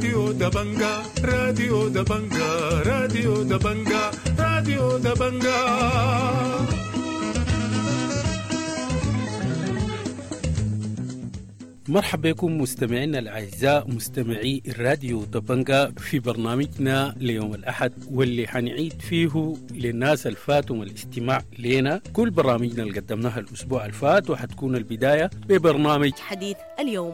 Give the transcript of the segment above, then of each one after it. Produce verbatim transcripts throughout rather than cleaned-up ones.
راديو دبنجا، راديو دبنجا، راديو دبنجا، راديو دبنجا. مرحبا بكم مستمعينا الأعزاء مستمعي الراديو دبنجا في برنامجنا ليوم الأحد، واللي حنعيد فيه للناس الفاتهم الاستماع لنا كل برامجنا اللي قدمناها الأسبوع الفات، وحتكون البداية ببرنامج حديث اليوم.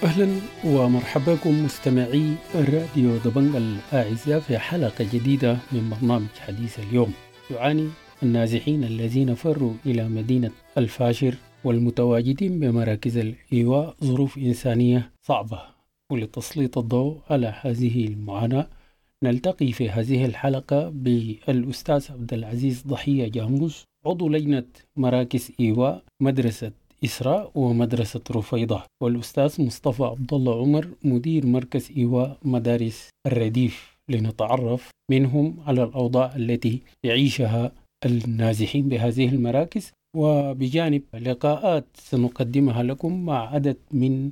أهلا ومرحبا بكم مستمعي الراديو دبنجا الأعزاء في حلقة جديدة من برنامج حديث اليوم. يعاني النازحين الذين فروا إلى مدينة الفاشر والمتواجدين بمراكز الإيواء ظروف إنسانية صعبة، ولتسليط الضوء على هذه المعاناة نلتقي في هذه الحلقة بالأستاذ عبد العزيز ضحية جاموس، عضو لجنة مراكز إيواء مدرسة إسراء ومدرسة رفيضة، والأستاذ مصطفى عبد الله عمر مدير مركز إيواء مدارس الرديف، لنتعرف منهم على الأوضاع التي يعيشها النازحين بهذه المراكز، وبجانب لقاءات سنقدمها لكم مع عدد من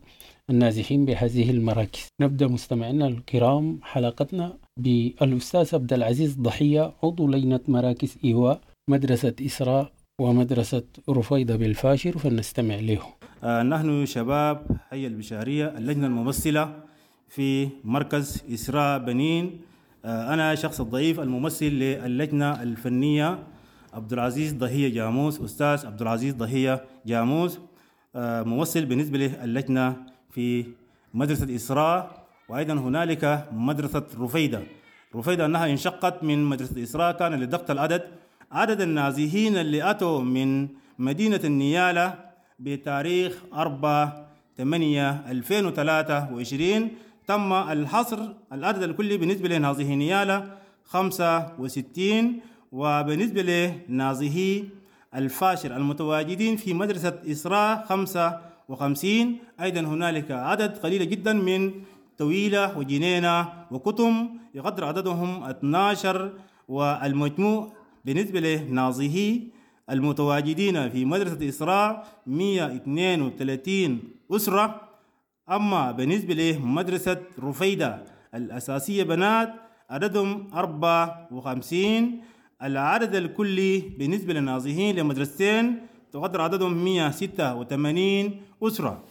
النازحين بهذه المراكز. نبدأ مستمعينا الكرام حلقتنا بالأستاذ عبد العزيز ضحية، عضو لجنة مراكز إيواء مدرسة إسراء ومدرسة رفيضة بالفاشر، فلنستمع له. آه نحن شباب حي البشارية، اللجنة الممثلة في مركز إسراء بنين. آه أنا شخص الضعيف الممثل للجنة الفنية عبد العزيز ضحية جاموس، أستاذ عبد العزيز ضحية جاموس، آه ممثل بالنسبة للجنة في مدرسة إسراء. وأيضا هنالك مدرسة رفيدة. رفيدة أنها انشقت من مدرسة إسراء كان لضغط العدد. عدد النازحين اللي أتوا من مدينة النيالة بتاريخ أربعة ثمانية ألفين وثلاثة وعشرين تم الحصر العدد الكلي بالنسبة لنازحي نيالة خمسة وستين، وبالنسبة لنازحي الفاشر المتواجدين في مدرسة إسراء خمسة وخمسين. أيضا هنالك عدد قليل جدا من طويلة وجنينة وكتم يقدر عددهم اثنا عشر، والمجموع بالنسبة لنازحي المتواجدين في مدرسة إسراء مئة واثنين وثلاثين أسرة. أما بالنسبة لمدرسة رفيدة الأساسية بنات عددهم أربعة وخمسين. العدد الكلي بالنسبة للنازحين لمدرستين تقدر عددهم مئة وستة وثمانين أسرة.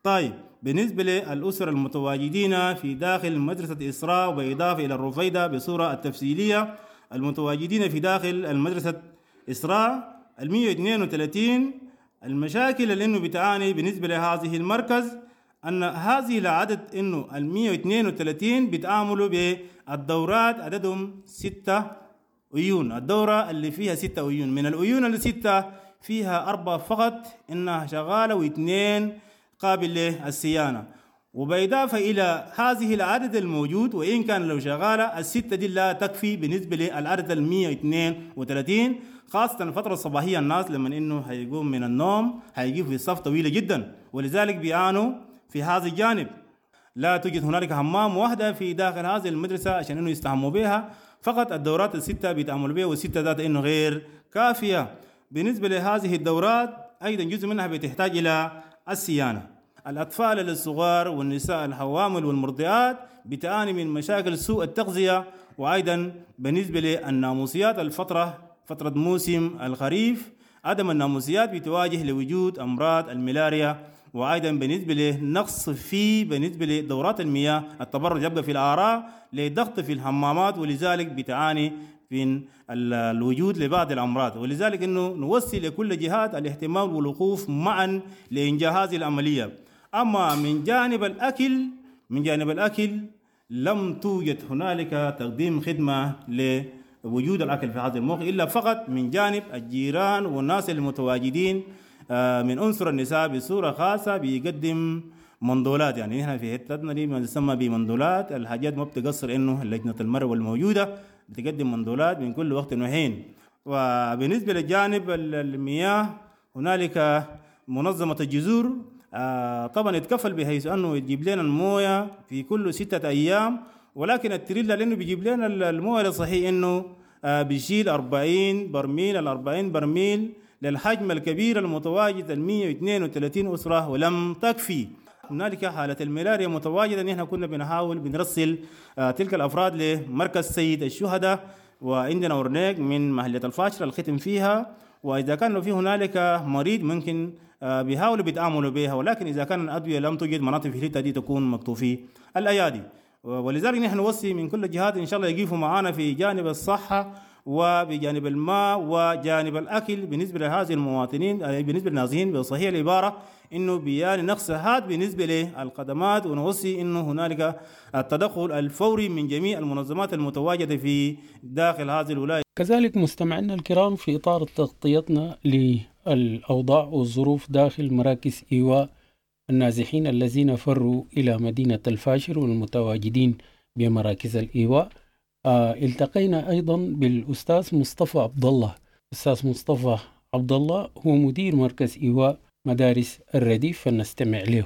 طيب بالنسبة للأسر المتواجدين في داخل مدرسة إسراء وبإضافة إلى الرفيدة بصورة التفصيلية المتواجدين في داخل المدرسة إسراء المئة واثنين وثلاثين، المشاكل اللي إنه بتعاني بالنسبة لهذه المركز أن هذه العدد إنه المئة واثنين وثلاثين بيتعاملوا بالدورات عددهم ستة عيون، الدورة اللي فيها ستة عيون، من العيون اللي ستة فيها أربعة فقط إنها شغالة واثنين قابل للصيانة. وبإضافة إلى هذه العدد الموجود وإن كان لو شغالة الستة دي لا تكفي بالنسبة للعدد المئة واثنين وثلاثين، خاصة الفترة الصباحية الناس لما إنه هيقوم من النوم هيجيب في صف طويلة جدا، ولذلك بيعانوا في هذا الجانب. لا توجد هنالك حمام واحدة في داخل هذه المدرسة عشان إنه يستحموا بها، فقط الدورات الستة بيتعاملوا بها، والستة ذات إنه غير كافية. بالنسبة لهذه الدورات أيضا جزء منها بتحتاج إلى الصيانة. الأطفال الصغار والنساء الحوامل والمرضعات بتعاني من مشاكل سوء التغذية، وأيضا بالنسبة للناموسيات الفترة فترة موسم الخريف عدم الناموسيات بتواجه لوجود أمراض الملاريا، وأيضا بالنسبة لنقص في بالنسبة لدورات المياه التبرج يبقى في الآراء لضغط في الحمامات، ولذلك بتعاني من الوجود لبعض الأمراض. ولذلك إنه نوصي لكل جهات الاهتمام والوقوف معا لإنجاح هذه العملية. أما من جانب الأكل من جانب الأكل لم توجد هنالك تقديم خدمة لوجود الأكل في هذا الموقع إلا فقط من جانب الجيران والناس المتواجدين من عنصر النساء بصورة خاصة بيقدم مندولات. يعني نحن في حتتنا دي ما تسمى بمندولات، الحاجات ما بتقصر إنه لجنة المرء الموجودة بتقدم مندولات من كل وقت وحين. وبالنسبة للجانب المياه هنالك منظمة الجذور آه طبعا يتكفل بحيث انه يجيب لنا المويه في كل ستة ايام، ولكن التريلا لانه بيجيب لنا المويه الصحيح انه آه بيشيل أربعين برميل، ال أربعين برميل للحجم الكبير المتواجد ال مية واثنين وثلاثين اسره ولم تكفي. هنالك حالة الملاريا متواجدة، نحن كنا بنحاول بنرسل آه تلك الأفراد لمركز سيد الشهداء، وعندنا أورنيك من محلية الفاشر الختم فيها، وإذا كان في هنالك مريض ممكن آه بيحاولوا بيتعاملوا بها، ولكن إذا كان الأدوية لم توجد مناطق في الحتة دي تكون مكتوفي الأيادي. ولذلك نحن نوصي من كل الجهات إن شاء الله يقفوا معنا في جانب الصحة وبجانب الماء وجانب الأكل بالنسبة لهذه المواطنين، بالنسبة للنازحين بصحيح العبارة إنه بيان نقص هاد بالنسبة للخدمات، ونوصي إنه هنالك التدخل الفوري من جميع المنظمات المتواجدة في داخل هذه الولاية. كذلك مستمعينا الكرام، في إطار تغطيتنا للأوضاع والظروف داخل مراكز إيواء النازحين الذين فروا إلى مدينة الفاشر والمتواجدين بمراكز الإيواء، آه التقينا أيضا بالأستاذ مصطفى عبد الله. أستاذ مصطفى عبد الله هو مدير مركز إيواء مدارس الرديف، فلنستمع له.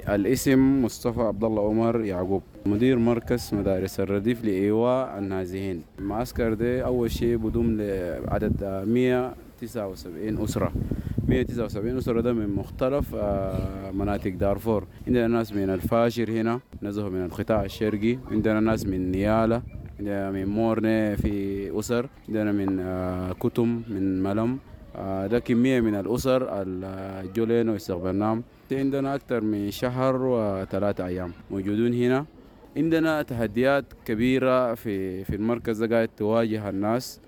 الاسم مصطفى عبد الله عمر يعقوب، مدير مركز مدارس الرديف لإيواء النازحين. المعسكر ده أول شيء بدوم لعدد مية وتسعة وسبعين أسرة، مية وتسعة وسبعين أسرة ده من مختلف مناطق دارفور. عندنا ناس من الفاشر هنا نزهوا من القطاع الشرقي، عندنا ناس من نيالة، عندنا من مورنة في أسر، عندنا من كتم، من ملم. ده كمية من الأسر الجولين واستقبلناهم. عندنا أكثر من شهر وثلاثة أيام موجودون هنا. عندنا تحديات كبيرة في في المركز ده قاعد تواجه الناس.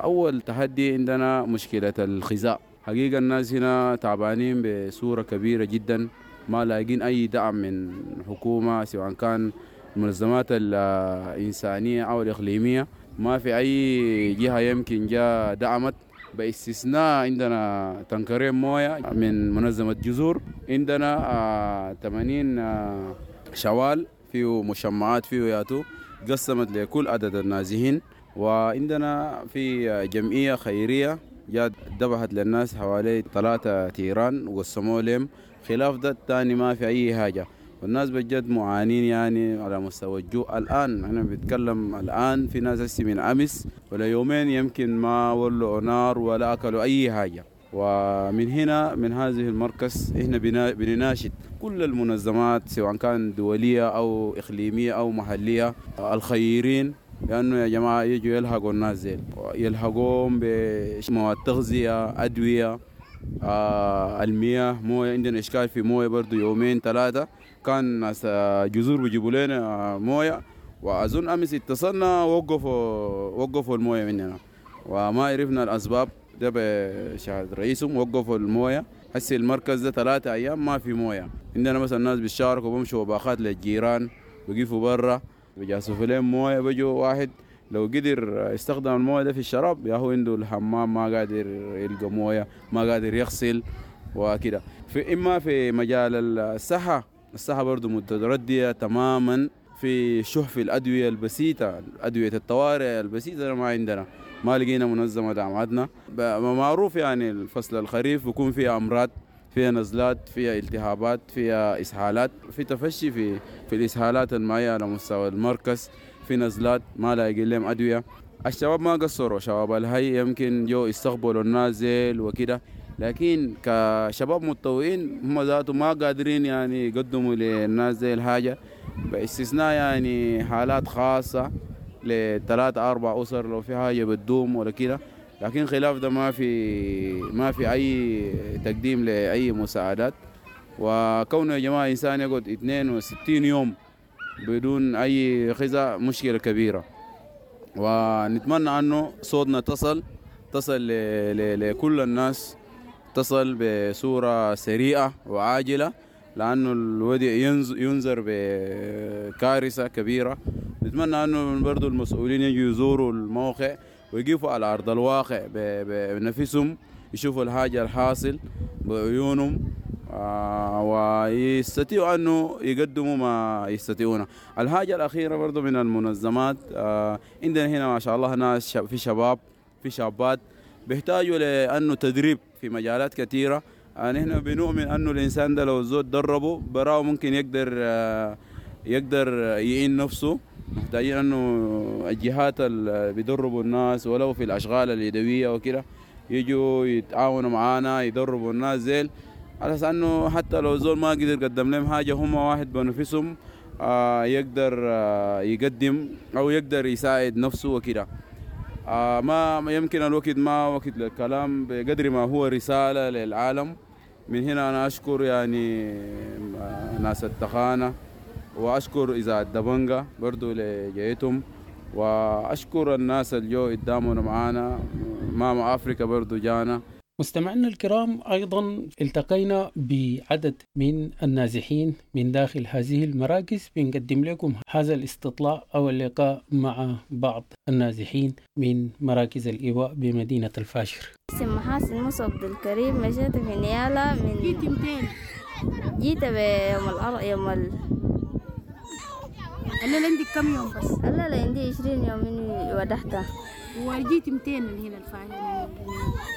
أول تحدي عندنا مشكلة الغذاء. حقيقة الناس هنا تعبانين بصورة كبيرة جدا، ما لاقين أي دعم من حكومة سواء كان المنظمات الإنسانية أو الإقليمية، ما في أي جهة يمكن جاء دعمت، باستثناء عندنا تنكرين موية من منظمة جذور، عندنا ثمانين شوال فيه مشمعات فيه ياتو قسمت لكل عدد النازحين، وعندنا في جمعية خيرية جات ذبحت للناس حوالي ثلاثة تيران وقسموا لهم. خلاف ده الثاني ما في أي حاجة، والناس بجد معانين يعني على مستوى الجوع. الآن أنا بتكلم الآن في ناس هسي من أمس ولا يومين يمكن ما ولعوا نار ولا أكلوا أي حاجة. ومن هنا من هذه المركز إحنا بنناشد كل المنظمات سواء كان دولية أو إقليمية أو محلية الخيرين، لأنه يا جماعة يجوا يلحقوا الناس زين، يلحقوهم بمواد تغذية، أدوية، آه المياه، موية. عندنا إشكال في موية برضو يومين ثلاثة كان ناس جذور بيجيبوا لنا موية، وأظن أمس اتصلنا وقفوا وقفوا الموية مننا وما عرفنا الأسباب. ده بشهادة رئيسهم وقفوا الموية. هسي المركز ده ثلاثة أيام ما في موية. عندنا مثلا الناس بيشاركوا بمشوا وباخات للجيران، بيقفوا برا بيجاسوا لهم موية، بيجوا واحد لو قدر يستخدم الموية ده في الشراب يا هو عنده الحمام ما قادر يلقى موية، ما قادر يغسل وكده. في إما في مجال الصحة، الصحة برضو متردية تماما، في شح في الأدوية البسيطة، أدوية الطوارئ البسيطة ما عندنا، ما لقينا منظمة دعمتنا. معروف يعني الفصل الخريف بيكون فيه أمراض، فيها نزلات، فيها التهابات، فيها إسهالات، في تفشي في في الإسهالات المائية على مستوى المركز، في نزلات ما لاقي لهم أدوية. الشباب ما قصروا، شباب الهي يمكن جو يستقبلوا النازل وكده، لكن كشباب متطوعين هم ذاته ما قادرين يعني يقدموا للناس زي الحاجة، باستثناء يعني حالات خاصة لثلاث أربع أسر لو في حاجة بتدوم ولا كده، لكن خلاف ده ما في ما في أي تقديم لأي مساعدات. وكونه يا جماعة إنسان يقعد اثنين وستين يوم بدون أي غذاء مشكلة كبيرة، ونتمنى أنه صوتنا تصل تصل لكل الناس، تصل بصورة سريعة وعاجلة، لأنه الوضع ينذر بكارثة كبيرة. نتمنى أنه برضو المسؤولين يجوا يزوروا الموقع ويقفوا على أرض الواقع بنفسهم، يشوفوا الحاجة الحاصل بعيونهم، ويستطيعوا أنه يقدموا ما يستطيعونه. الحاجة الأخيرة برضو من المنظمات، عندنا هنا ما شاء الله ناس في شباب في شابات بيحتاجوا لأنه تدريب في مجالات كثيرة. نحن بنؤمن أنه الإنسان ده لو الزول دربه براه ممكن يقدر يقدر يعين نفسه. محتاجين أنه الجهات اللي بيدربوا الناس ولو في الأشغال اليدوية وكده يجوا يتعاونوا معانا يدربوا الناس زي على أساس أنه حتى لو زول ما قدر قدم لهم حاجة هم واحد بنفسهم آه يقدر آه يقدم أو يقدر يساعد نفسه وكده. آه ما يمكن الوقت ما وقت للكلام بقدر ما هو رسالة للعالم. من هنا أنا أشكر يعني ناس التخانة، وأشكر إذاعة دبنجة برضو لجيتهم، وأشكر الناس اللي جو قدامنا معانا، ماما أفريقيا برضو جانا. مستمعينا الكرام، أيضا التقينا بعدد من النازحين من داخل هذه المراكز. بنقدم لكم هذا الاستطلاع أو اللقاء مع بعض النازحين من مراكز الإيواء بمدينة الفاشر. اسم محاسن موسى عبد الكريم، مشيت في نيالا من جيت متين؟ جيت بيوم الأر يوم ال... الليلة عندك كم يوم بس؟ الليلة عندي عشرين يوم من ودحتها. وجيت متين من هنا الفاشر؟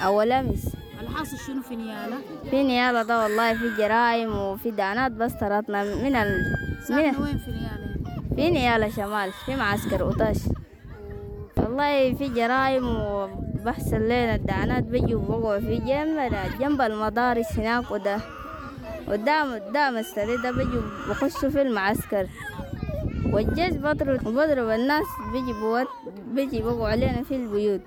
أول أمس. الحاصل شنو في نيالا؟ في نيالا ده والله في جرائم وفي دعنات بس طردنا من ال من وين في نيالا؟ في نيالا شمال في معسكر أوتاش. والله في جرائم وبحصل لنا الدعنات بيجوا بوقعوا في جنب جنب المدارس هناك، وده قدام قدام السرير ده بيجوا بخشوا في المعسكر، والجيش بضرب بضرب الناس بيجي بوت بيجي بوقعوا علينا في البيوت.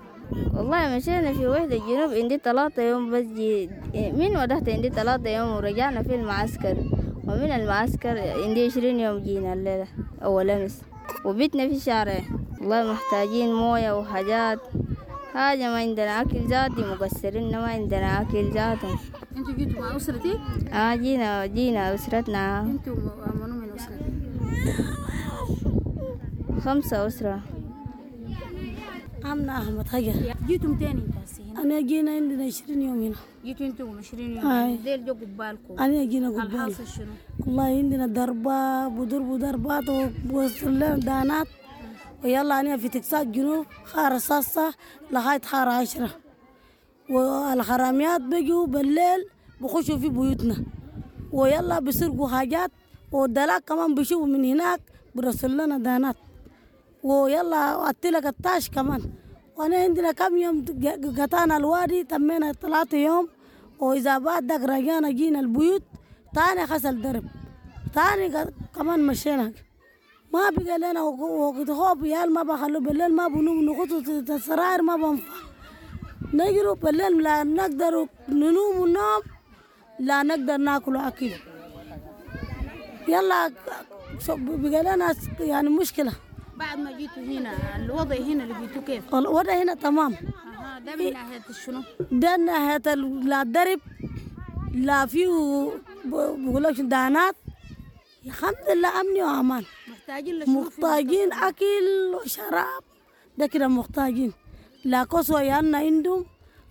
والله مشينا في وحدة الجنوب عندي ثلاثة يوم بس جي من ودحت عندي ثلاثة يوم ورجعنا في المعسكر، ومن المعسكر عندي عشرين يوم جينا الليلة أول أمس، وبيتنا في شارع. والله محتاجين موية وحاجات، حاجة ما عندنا أكل ذاتي، مقصرين ما عندنا أكل ذاتي. انتوا جيتوا مع أسرتك؟ آه جينا جينا أسرتنا. انتوا منو من أسرتك؟ خمسة أسرة. عمنا أحمد حجر. جيتم تاني انت هسه هنا؟ أنا جينا عندنا عشرين يوم هنا. جيتوا انتم عشرين يوم؟ آه. ديل جو قبالكم. أنا جينا قبال. الحاصل شنو؟ والله عندنا ضربة وضربوا ضربات ووصل لنا دانات، ويلا أنا في تكساس جنوب خارة ساسة لغاية خارة عشرة، والحراميات بيجوا بالليل بخشوا في بيوتنا، ويلا بيسرقوا حاجات، والدلاك كمان بيشوفوا من هناك برسل لنا دانات، ويلا أتلك الطاش كمان. وأنا عندنا كم يوم قطعنا الوادي تمينا ثلاثة يوم، وإذا بعد ذاك رجعنا جينا البيوت تاني خسل درب تاني كمان مشينا. ما بقى لنا وقت خوف، يال ما بخلوا بالليل ما بنوم، نغطوا السراير ما بنفع، نجروا بالليل لا نقدر ننوم ونوم، لا نقدر ناكل أكل. يلا بقى لنا يعني مشكلة. بعد ما جيتوا هنا الوضع هنا لقيتوا كيف؟ الوضع هنا تمام. أها، ده من ناحية شنو؟ ده من ناحية لا الدرب لا فيه بقولك دانات، الحمد لله أمني وأمان. محتاجين لشنو؟ محتاجين أكل وشراب ده كده محتاجين، لا كسوة يانا عندهم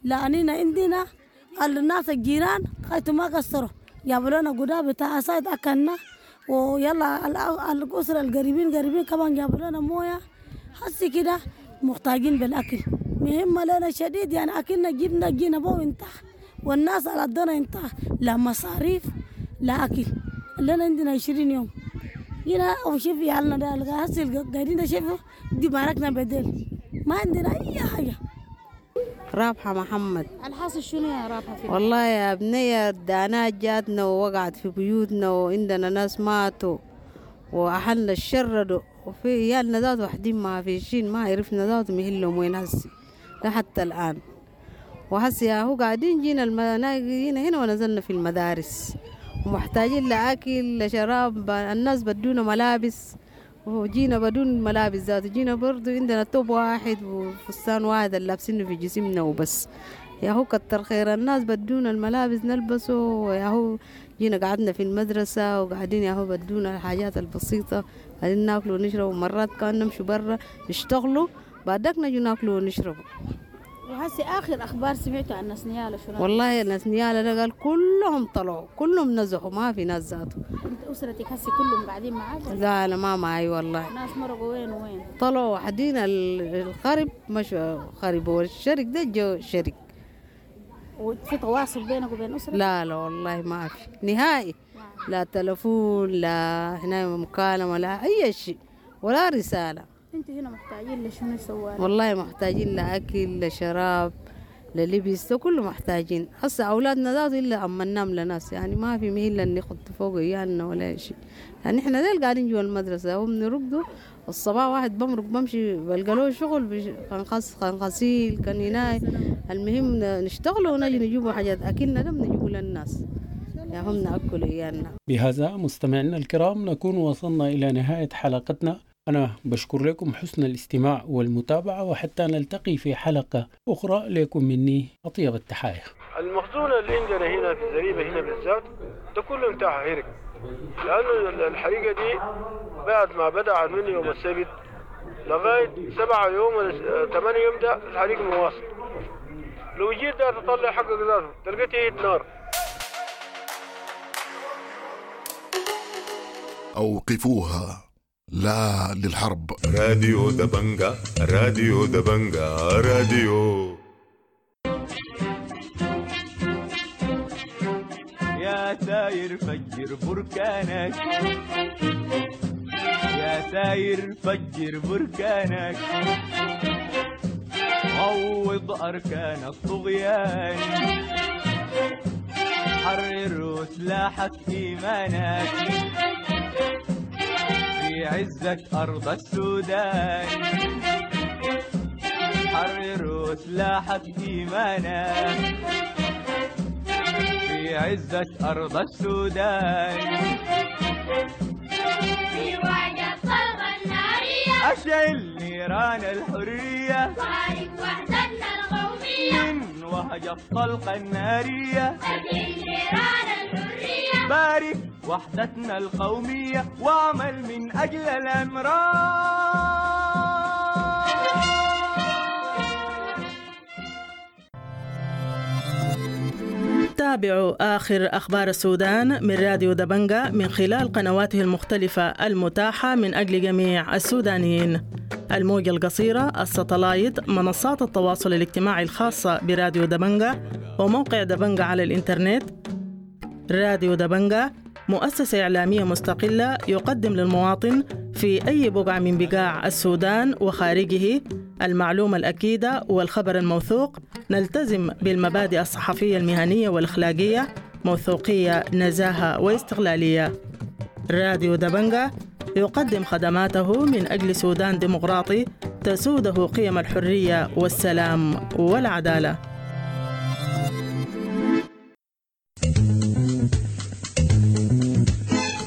لا أنينا عندنا. الناس الجيران خايتوا ما قصروا، جابوا لنا قداب بتاع عصاية أكلنا، ويلا الأسرة القريبين قريبين كمان جابوا لنا موية. حسي كده محتاجين بالأكل، مهمة لنا شديد يعني. أكلنا جبنا جينا بو انتهى، والناس على الدنا انتهى، لا مصاريف لا أكل. لنا عندنا عشرين يوم جينا وشوف يعلنا ده هسي قاعدين ده شوفوا دي باركنا بدل ما عندنا أي حاجة. رابحة محمد. الحاصل شنو يا رابحة؟ في والله يا بنية الدانات جاتنا ووقعت في بيوتنا، وعندنا ناس ماتوا وأهلنا شردوا، وفي عيالنا ذات وحدين ما فيشين، ما عرفنا ذات مهلهم وين هسي لحتى الآن. وهسي يا هو قاعدين جينا المنا... جينا هنا ونزلنا في المدارس، ومحتاجين لأكل لشراب، الناس بدونا ملابس وجينا بدون ملابس ذات، جينا برضو عندنا توب واحد وفستان واحد اللي لابسينه في جسمنا وبس. يا هو كتر خير الناس بدونا الملابس نلبسه، ويا هو جينا قعدنا في المدرسة وقاعدين يا هو بدونا الحاجات البسيطة، قاعدين ناكلوا ونشرب، ومرات كان نمشوا برا نشتغلوا بعدك نجوا ناكلوا ونشربوا. وهسي آخر أخبار سمعتوا عن ناس نيالا شنو؟ والله ناس نيالا ده قال كلهم طلعوا، كلهم نزحوا، ما في ناس ذاته. أنت أسرتك هسي كلهم قاعدين معاك؟ لا أنا ما معي والله. ناس مرقوا وين وين؟ طلعوا وحدين الخرب مشوا خربوا، والشرق ده جو شرق. وفي تواصل بينك وبين أسرتك؟ لا لا والله ما في نهائي، لا تلفون لا هنا مكالمة لا أي شيء ولا رسالة. انتوا هنا محتاجين لشنو سوالي؟ والله محتاجين لأكل لشراب للبس، ده كله محتاجين. هسه أولادنا ذاته إلا أمناهم لناس، يعني ما في مهلة نخط فوق عيالنا ولا شيء. يعني إحنا ديل قاعدين جوا المدرسة وبنرقدوا الصباح، واحد بمرق بمشي بلقى له شغل بش... كان خس كان غسيل كان هناي، المهم نشتغلوا ونجي نجيبوا حاجات أكلنا ده بنجيبوا للناس، يا هم نأكل عيالنا. بهذا مستمعينا الكرام نكون وصلنا إلى نهاية حلقتنا. أنا بشكر لكم حسن الاستماع والمتابعة، وحتى نلتقي في حلقة أخرى لكم مني أطيب التحايا. المخزون اللي عندنا هنا في الزريبة هنا بالذات ده كله انتهى هرق، لأنه الحريقة دي بعد ما بدأ من يوم السبت لغاية سبعة يوم ولا ثمانية يوم ده الحريق مواصل. لو جيت ده تطلع حقك ذاته تلقيت نار. أوقفوها، لا للحرب. راديو دبنجا، راديو دبنجا، راديو. يا ساير فجر بركانك، يا ساير فجر بركانك، عوض أركان الطغيان، حرر سلاحك إيمانك، في عزك أرض السودان، حرر سلاحك إيمانك، في عزك أرض السودان، في وجه الطلقة النارية أشعل نيران الحرية، بارك وحدتنا القومية، من وهج الطلقة النارية أشعل نيران الحرية، بارك وحدتنا القومية، واعمل من أجل العمران. تابعوا آخر أخبار السودان من راديو دبنجا من خلال قنواته المختلفة المتاحة من أجل جميع السودانيين: الموجة القصيرة، الستلايت، منصات التواصل الاجتماعي الخاصة براديو دبنجا، وموقع دبنجا على الإنترنت. راديو دبنجا مؤسسة إعلامية مستقلة يقدم للمواطن في أي بقعة من بقاع السودان وخارجه المعلومة الأكيدة والخبر الموثوق. نلتزم بالمبادئ الصحفية المهنية والأخلاقية، موثوقية، نزاهة واستقلالية. راديو دبنجا يقدم خدماته من أجل سودان ديمقراطي تسوده قيم الحرية والسلام والعدالة.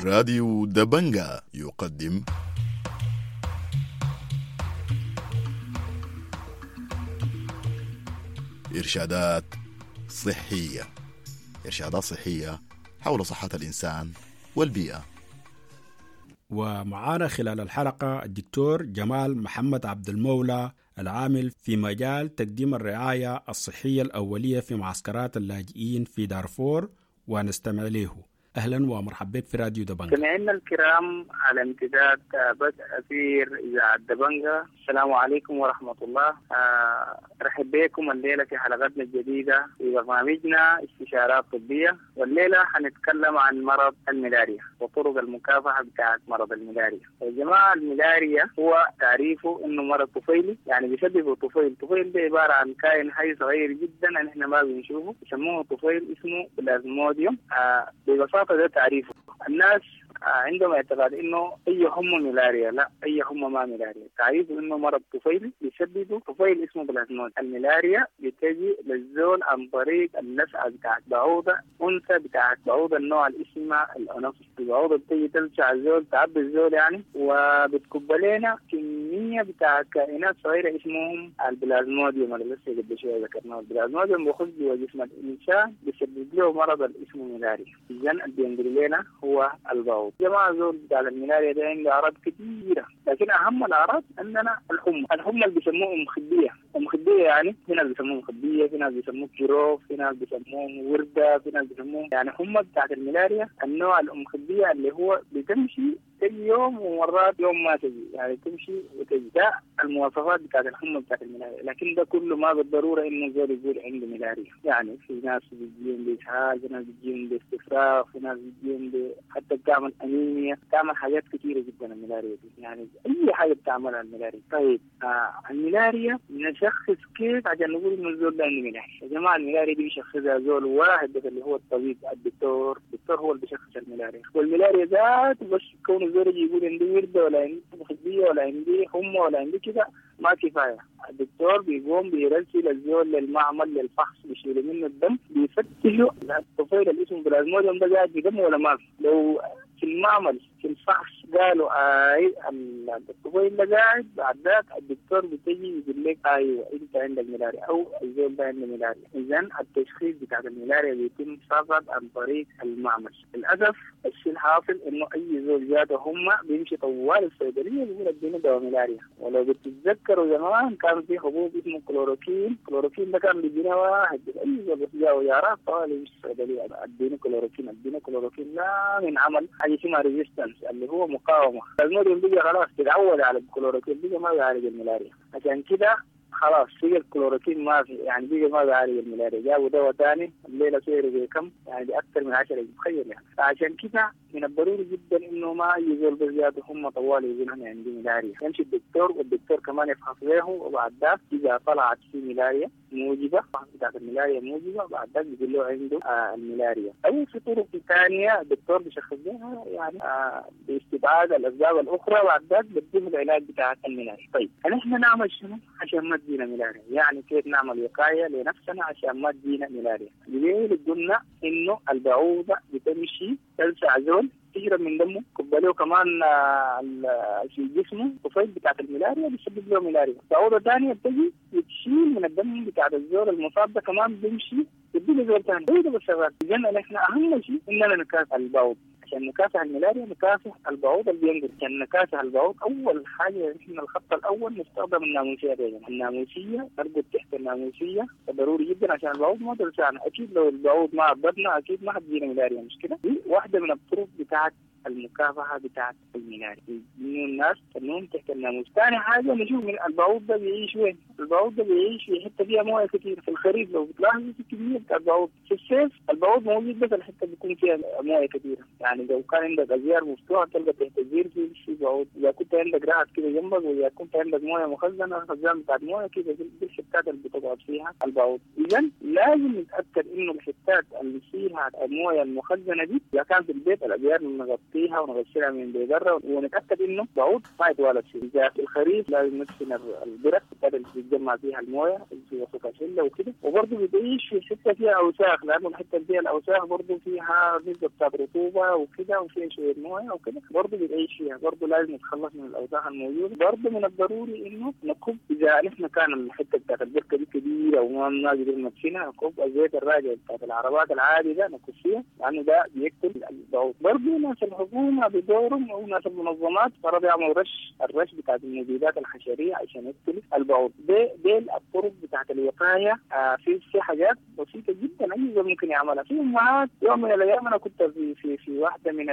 راديو دبنجا يقدم إرشادات صحية، إرشادات صحية حول صحة الإنسان والبيئة. ومعانا خلال الحلقة الدكتور جمال محمد عبد المولى العامل في مجال تقديم الرعاية الصحية الأولية في معسكرات اللاجئين في دارفور، ونستمع له. أهلا ومرحبا بك في راديو دبنجا. سمعنا الكرام على امتداد بدء أثير إذاعة دبنجا، السلام عليكم ورحمة الله. أرحب بكم الليلة في حلقتنا الجديدة في برنامجنا استشارات طبية، والليلة حنتكلم عن مرض الملاريا وطرق المكافحة بتاعة مرض الملاريا. يا جماعة الملاريا هو تعريفه إنه مرض طفيلي، يعني بيسببه طفيل. طفيل ده عبارة عن كائن حي صغير جدا نحن ما بنشوفه، يسموه طفيل، اسمه بلازموديوم. ببساطة ده تعريفه. الناس عندهم اعتقاد انه اي حمى ملاريا، لا، اي حمى ما ملاريا. تعريفه انه مرض طفيلي بيسببه طفيل اسمه بلازمود. الملاريا بتجي للزول عن طريق اللسعه بتاعت بعوضه انثى بتاعت بعوضه النوع اللي اسمها الانوفيس. البعوضه بتجي تلسع الزول، تعبي الزول يعني، وبتكب لنا كميه بتاعت كائنات صغيره اسمهم البلازموديوم اللي لسه قبل شويه ذكرناه. البلازموديوم بيخش جوا جسم الانسان بيسبب له مرض اللي اسمه ملاريا. اذا اللي بينقل لنا هو البعوض. البعوض. جماعة زول بتاع الملاريا ده عنده اعراض كثيرة، لكن اهم الاعراض عندنا الحمى، الحمى اللي بيسموه ام خديه، ام خديه يعني في ناس بيسموه مخديه، في ناس بيسموه كيروف، في ناس بيسموه ورده، في ناس بيسموه يعني حمى بتاعت الملاريا النوع الام خديه اللي هو بتمشي تجي يوم ومرات يوم ما تجي، يعني تمشي وتجي. ده المواصفات بتاعت الحمى بتاعت الملاريا، لكن ده كله ما بالضرورة انه زول يقول عنده ملاريا. يعني في ناس بتجيهم باسهال، في ناس بتجيهم باستفراغ، في ناس بتجيهم ب... حتى بتعمل انيميا، بتعمل حاجات كثيرة جدا الملاريا دي، يعني اي حاجة بتعملها الملاريا. طيب آه الملاريا نشخص كيف عشان نقول انه الزول ده عنده ملاريا؟ يا جماعة الملاريا دي بيشخصها زول واحد بس اللي هو الطبيب الدكتور، الدكتور هو اللي بيشخص الملاريا، والملاريا ذات بس كون الزول يجي يقول عندي ورده ولا عندي مخديه ولا عندي حمى ولا عندي كده ما كفاية. الدكتور بيقوم بيرسل الزول للمعمل للفحص، بيشيلوا منه الدم، بيفتشوا الطفيل اللي اسمه بلازموديوم ده قاعد في دمه ولا ما في. لو في المعمل في الفحص قالوا اي الطفيل ده قاعد، بعد ذاك الدكتور بتجي يقول لك ايوه انت عندك ملاريا او الزول ده عنده ملاريا. اذا التشخيص بتاع الملاريا بيتم فقط عن طريق المعمل. للاسف الشيء الحاصل انه اي زول جاته هم بيمشي طوال الصيدلية بيقول اديني دواء ملاريا. ولو بتتذكروا زمان كان في حبوب اسمه كلوروكين، كلوروكين ده كان بيجينا واحد اي زول بس جاءه يارات طوال يمشي الصيدلية اديني كلوروكين اديني كلوروكين، لا من عمل حاجة اسمها resistance اللي هو مقاومة. الموديل بيجي خلاص تتعود على الكلوروكين، بيجي ما بيعالج الملاريا، عشان كده خلاص بقى الكلوروكين ما في، يعني بقى ما بيعالج الملاريا، جابوا دواء ثاني الليلة سعره بكم؟ يعني باكثر من عشرة، تخيل يعني. فعشان كده من الضروري جدا انه ما اي زول بزيادة هم طوال يقول انا عندي ملاريا، يمشي الدكتور والدكتور كمان يفحص له، وبعد ذاك اذا طلعت في ملاريا موجبه، بتاعت الملاريا موجبه، بعد ذاك بيقول له عنده آه الملاريا. او في طرق ثانية الدكتور بيشخص لها يعني آه باستبعاد الاسباب الاخرى، بعد ذاك بيديه العلاج بتاع الملاريا. طيب نحن نعمل شنو عشان ما تجينا ملاريا؟ يعني كيف نعمل وقاية لنفسنا عشان ما تجينا ملاريا؟ ليه قلنا انه البعوضة بتمشي تلسع زول تشرب من دمه، كباليه كمان في جسمه طفيل بتاعت الملاريا بيسبب له ملاريا. بعوضة ثانية بتجي بتشيل من الدم بتاعت الزول المصاب ده كمان بيمشي بتدي زول ثاني، هو ده بالشغال. اذا نحن اهم شيء اننا نكافح البعوض. عشان نكافح الملاريا نكافح البعوض اللي بينقل، عشان نكافح البعوض اول حاجة نحن الخط الاول نستخدم الناموسيه دي. الناموسيه نرقد تحت الناموسيه ضروري جدا عشان البعوض ما تلسعنا. اكيد لو البعوض ما عضتنا اكيد ما حتجينا ملاريا، مش كده؟ دي واحدة من الطرق بتاعت المكافحه بتاعت الملاريا، انه الناس تنوم تحت الناموس. ثاني حاجة نشوف من البعوض ده بيعيش وين؟ البعوض ده بيعيش في حتة فيها مويه كثير. في الخريف لو بتلاحظوا في كمية بتاع البعوض، في الصيف البعوض موجود بس الحتة بيكون فيها مويه كثيرة، يعني لو كان عندك ازيار مفتوحة تلقى تحت الزير في في بعوض، اذا كنت عندك رعد كده جنبك، واذا كنت عندك مويه مخزنة خزان بتاعت مويه كده دي الحتات اللي بتقعد فيها البعوض. اذا لازم نتاكد انه الحتات اللي فيها المويه المخزنه دي اذا كان في البيت الازيار نغطيها ونغسلها من برا، ونتاكد انه بعوض ما يتوالد فيه. اذا في الخريف لازم ندفن البرك اللي بتتجمع فيها المويه في وسط الحلة وكده، وبرضه بتعيش في حتة فيها اوساخ، لانه الحتة اللي فيها الاوساخ برضه فيها نسبه بتاعت رطوبة وكده وفيها شوية مويه وكده، برضه بتعيش فيها، برضه لازم نتخلص من الاوساخ الموجودة. برضه من الضروري انه نكب اذا نحن كان الحتة بتاعت البركة دي كبيرة وما قدرنا ندفنها، نكب الزيت الراجع بتاعت العربات العادي ده نكب فيها، لانه ده بيقتل البعوض. برضه ناس الحكومة بدورهم او ناس المنظمات فرض يعملوا رش، الرش بتاعت المبيدات الحشريه عشان يقتل البعوض. دي دي الطرق بتاعت الوقاية. آه في في حاجات بسيطة جدا اي زول ممكن يعملها. في امهات يوم من الايام انا كنت في في في واحدة من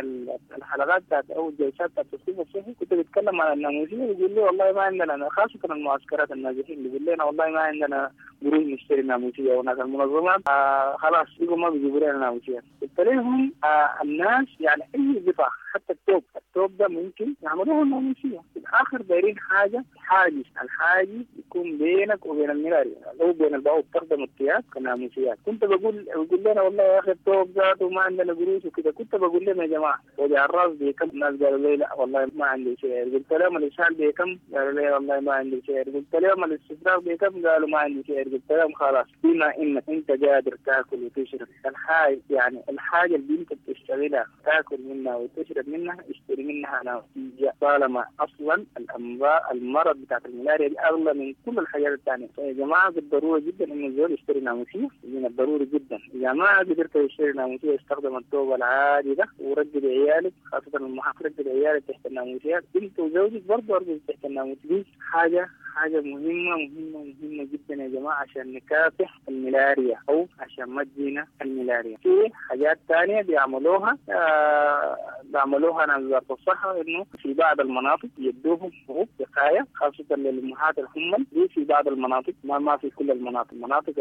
الحلقات بتاعت او الجلسات بتاعت التثقيف الصحي كنت بتكلم عن الناموسيه، بيقول لي والله ما عندنا، خاصة المعسكرات النازحين بيقول لنا والله ما عندنا قروش نشتري ناموسيه، وناس المنظمات آه خلاص بيقوا ما بيجيبوا لنا ناموسيه. قلت لهم آه الناس يعني اي قطع حتى التوب، التوب ده ممكن يعملوه الناموسيه. في الاخر دايرين حاجة حاجز، الحاجز يكون بينك وبين الملاريا او بين البعوض، تخدم الثياب كناموسيات. كنت بقول بقول لنا والله يا اخي التوب ذاته ما عندنا قروش وكده، كنت بقول لهم يا جماعة وجع الراس بكم؟ الناس قالوا لي لا والله ما عندي شيء. قلت لهم الاسهال بكم؟ قالوا لي والله ما عندي شيء. قلت لهم الاستفراغ بكم؟ قالوا ما عندي شيء. قلت لهم خلاص بما انك انت قادر تاكل وتشرب الحاجة، يعني الحاجة اللي انت بتشتغلها تاكل منها وتشرب منها، اشتري منها ناموسية، طالما أصلا الأمراض المرض بتاعت الملاريا دي أغلى من كل الحاجات الثانية. فيا جماعة بالضرورة جدا إنه الزول يشتري ناموسية، من الضروري جدا. إذا ما قدرت تشتري ناموسية استخدم الثوب العادي ده ورجل عيالك، خاصة المحافظ رجل عيالك تحت الناموسيات، أنت وزوجك برضه أرجل تحت الناموسية. دي حاجة حاجة مهمة مهمة مهمة جدا يا جماعة عشان نكافح الملاريا أو عشان ما تجينا الملاريا. في حاجات تانية بيعملوها آه بيعملوها ناس وزارة الصحة، إنه في بعض المناطق يدوهم حبوب وقاية خاصة للأمهات الحمل دي في بعض المناطق، ما ما في كل المناطق، المناطق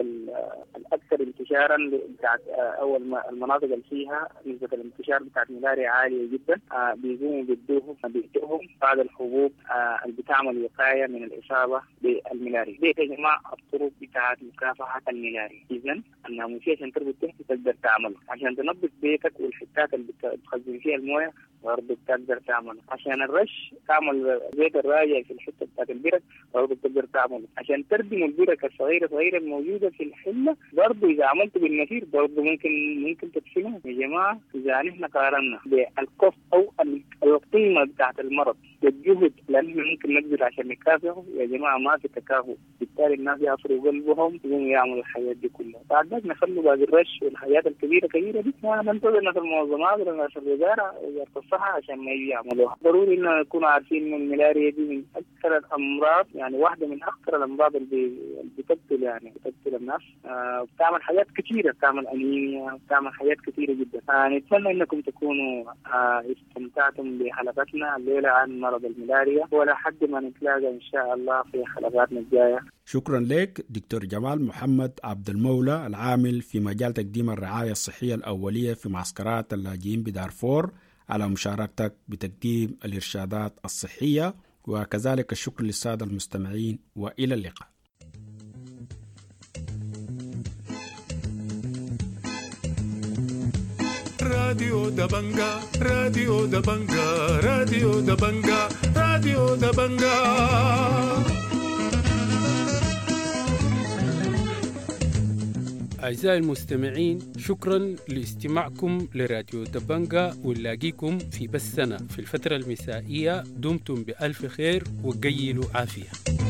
الأكثر انتشارا بتاعت أو المناطق اللي فيها نسبة الانتشار بتاعت الملاريا عالية جدا، آه بيقوموا بيدوهم بيدوهم بعض الحبوب آه اللي بتعمل وقاية من الإصابة بالملاريا. دي يا جماعة الطرق بتاعت مكافحة الملاريا. إذا الناموسية عشان تربط تحت تقدر تعمله، عشان تنظف بيتك والحتات اللي بتخزن فيها الموية برضه بتقدر تعمله، عشان الرش تعمل زيت الراجع في الحتة بتاعت البرك برضه بتقدر تعمله، عشان تردم البرك الصغيرة صغيرة الموجودة في الحلة برضه إذا عملته بالنفير برضه ممكن ممكن تدفنه. يا جماعة إذا نحن قارنا بالكوست أو القيمة بتاعت المرض والجهد لأنه ممكن نبذل عشان نكافحه، يا جماعة ما في تكافؤ، بالتالي الناس يعصروا قلبهم يقوموا يعملوا الحاجات دي كلها. بعد ذلك نخلوا باقي الرش والحاجات الكبيرة كبيرة دي ما ننتظر ناس المنظمات ولا ناس الوزارة وزارة الصحة عشان ما يجي يعملوها. ضروري إنه نكون عارفين إنه الملاريا دي من أكثر الأمراض، يعني واحدة من أخطر الأمراض اللي بتقتل يعني بتقتل الناس، آه بتعمل حاجات كثيرة، بتعمل أنيميا، بتعمل حاجات كثيرة جدا. آه نتمنى إنكم تكونوا آه استمتعتم بحلقتنا الليلة عن مرض الملاريا، ولا حد ما نتلاقى إن شاء الله في حلقاتنا الجاية. شكرا لك دكتور جمال محمد عبد المولى العامل في مجال تقديم الرعاية الصحية الأولية في معسكرات اللاجئين بدارفور على مشاركتك بتقديم الإرشادات الصحية، وكذلك الشكر للسادة المستمعين، وإلى اللقاء. راديو دبنجا، راديو دبنجا، راديو دبنجا، راديو دبنجا. أعزائي المستمعين، شكرا لاستماعكم لراديو دبنجا، ونلاقيكم في بثنا في الفترة المسائية. دمتم بألف خير وقيلوا عافية.